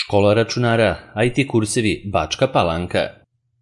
Škola računara, IT kursevi Bačka Palanka.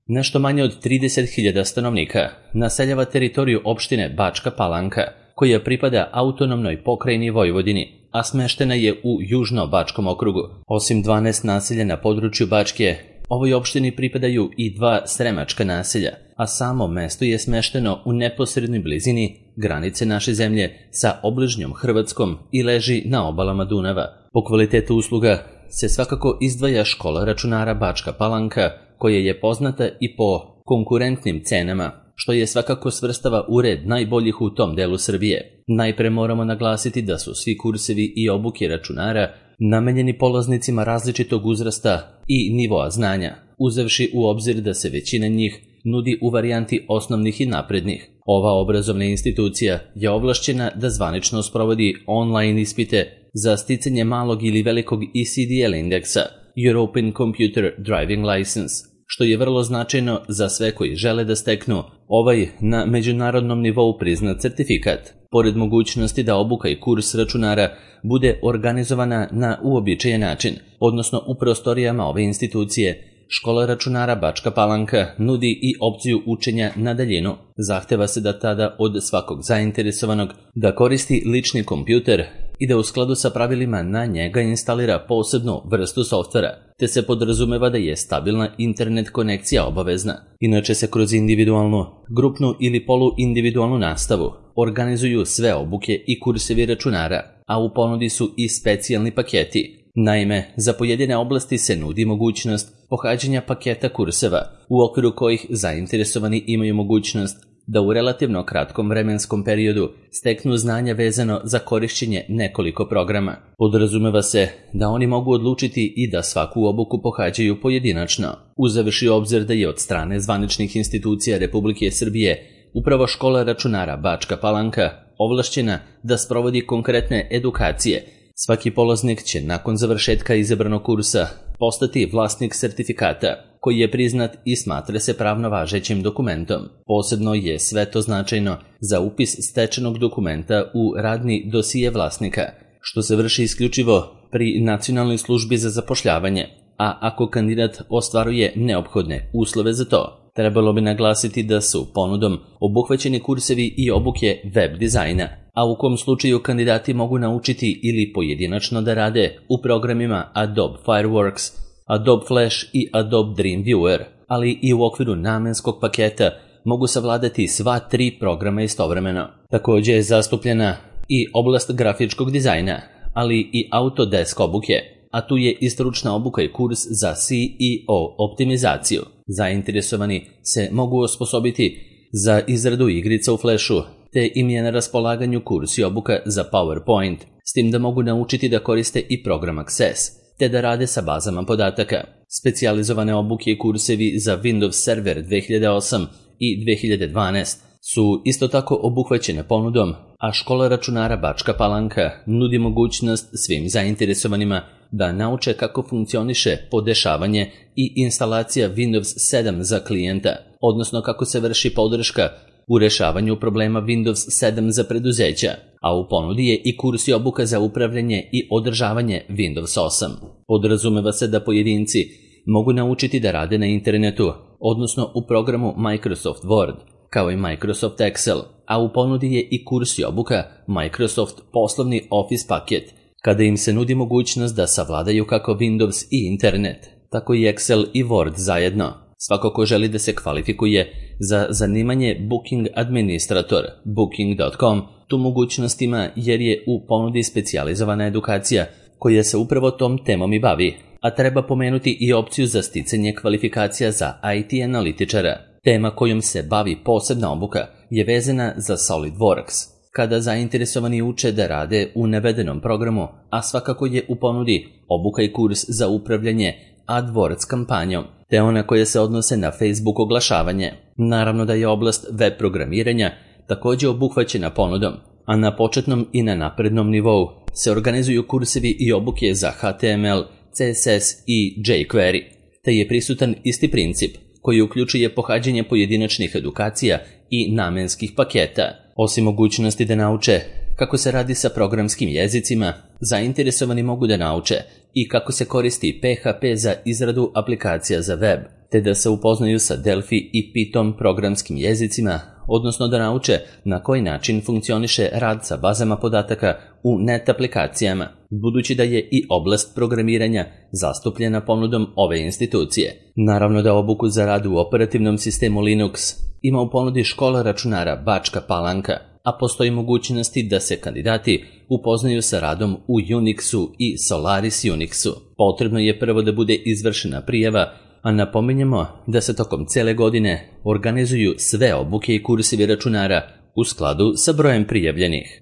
Nešto manje od 30.000 stanovnika naseljava teritoriju opštine Bačka Palanka, koja pripada autonomnoj pokrajini Vojvodini, a smeštena je u Južno-Bačkom okrugu. Osim 12 naselja na području Bačke, ovoj opštini pripadaju i 2 sremačka naselja, a samo mesto je smešteno u neposrednoj blizini granice naše zemlje sa obližnjom Hrvatskom i leži na obalama Dunava. Po kvalitetu usluga se svakako izdvaja škola računara Bačka Palanka, koja je poznata i po konkurentnim cenama, što je svakako svrstava u red najboljih u tom delu Srbije. Najpre moramo naglasiti da su svi kursevi i obuke računara namenjeni polaznicima različitog uzrasta i nivoa znanja, uzevši u obzir da se većina njih nudi u varijanti osnovnih i naprednih. Ova obrazovna institucija je ovlašćena da zvanično sprovodi online ispite za sticanje malog ili velikog ECDL indeksa, European Computer Driving License, što je vrlo značajno za sve koji žele da steknu ovaj na međunarodnom nivou priznat certifikat. Pored mogućnosti da obuka i kurs računara bude organizovana na uobičajen način, odnosno u prostorijama ove institucije, škola računara Bačka Palanka nudi i opciju učenja na daljinu. Zahteva se da tada od svakog zainteresovanog da koristi lični kompjuter i da u skladu sa pravilima na njega instalira posebnu vrstu softvera, te se podrazumeva da je stabilna internet konekcija obavezna. Inače se kroz individualnu, grupnu ili poluindividualnu nastavu organizuju sve obuke i kursevi računara, a u ponudi su i specijalni paketi. Naime, za pojedine oblasti se nudi mogućnost pohađanja paketa kurseva, u okviru kojih zainteresovani imaju mogućnost da u relativno kratkom vremenskom periodu steknu znanja vezano za korišćenje nekoliko programa. Podrazumeva se da oni mogu odlučiti i da svaku obuku pohađaju pojedinačno, uzevši obzir da je od strane zvaničnih institucija Republike Srbije upravo škola računara Bačka Palanka ovlašćena da sprovodi konkretne edukacije. Svaki polaznik će nakon završetka izabranog kursa postati vlasnik sertifikata, koji je priznat i smatra se pravno važećim dokumentom. Posebno je sve to značajno za upis stečenog dokumenta u radni dosije vlasnika, što se vrši isključivo pri Nacionalnoj službi za zapošljavanje, a ako kandidat ostvaruje neophodne uslove za to. Trebalo bi naglasiti da su ponudom obuhvaćeni kursevi i obuke web dizajna, a u kom slučaju kandidati mogu naučiti ili pojedinačno da rade u programima Adobe Fireworks, Adobe Flash i Adobe Dreamweaver, ali i u okviru namenskog paketa mogu savladati sva 3 programa istovremeno. Također je zastupljena i oblast grafičkog dizajna, ali i Autodesk obuke, a tu je i stručna obuka i kurs za SEO optimizaciju. Zainteresovani se mogu osposobiti za izradu igrica u Flashu, te im je na raspolaganju kurs i obuka za PowerPoint, s tim da mogu naučiti da koriste i program Access, te da rade sa bazama podataka. Specijalizovane obuke i kursevi za Windows Server 2008 i 2012 su isto tako obuhvaćene ponudom, a škola računara Bačka Palanka nudi mogućnost svim zainteresovanima da nauče kako funkcioniše podešavanje i instalacija Windows 7 za klijenta, odnosno kako se vrši podrška u rešavanju problema Windows 7 za preduzeća, a u ponudi je i kurs i obuka za upravljanje i održavanje Windows 8. Podrazumeva se da pojedinci mogu naučiti da rade na internetu, odnosno u programu Microsoft Word, kao i Microsoft Excel, a u ponudi je i kurs i obuka Microsoft poslovni Office paket, kada im se nudi mogućnost da savladaju kako Windows i internet, tako i Excel i Word zajedno. Svako ko želi da se kvalifikuje za zanimanje Booking Administrator, Booking.com, tu mogućnost ima jer je u ponudi specijalizovana edukacija koja se upravo tom temom i bavi, a treba pomenuti i opciju za sticanje kvalifikacija za IT analitičara. Tema kojom se bavi posebna obuka je vezana za SolidWorks, kada zainteresovani uče da rade u navedenom programu, a svakako je u ponudi obuka i kurs za upravljanje AdWords kampanjom, te ona koja se odnose na Facebook oglašavanje. Naravno da je oblast web programiranja također obuhvaćena ponudom, a na početnom i na naprednom nivou se organizuju kursevi i obuke za HTML, CSS i jQuery, te je prisutan isti princip koji uključuje pohađanje pojedinačnih edukacija i namenskih paketa. Osim mogućnosti da nauče kako se radi sa programskim jezicima, zainteresovani mogu da nauče i kako se koristi PHP za izradu aplikacija za web, te da se upoznaju sa Delphi i Python programskim jezicima, odnosno da nauče na koji način funkcioniše rad sa bazama podataka u net aplikacijama, budući da je i oblast programiranja zastupljena ponudom ove institucije. Naravno da obuku za rad u operativnom sistemu Linux ima u ponudi škola računara Bačka Palanka, a postoji mogućnosti da se kandidati upoznaju sa radom u Unixu i Solaris Unixu. Potrebno je prvo da bude izvršena prijava, a napominjemo da se tokom cele godine organizuju sve obuke i kursevi računara u skladu sa brojem prijavljenih.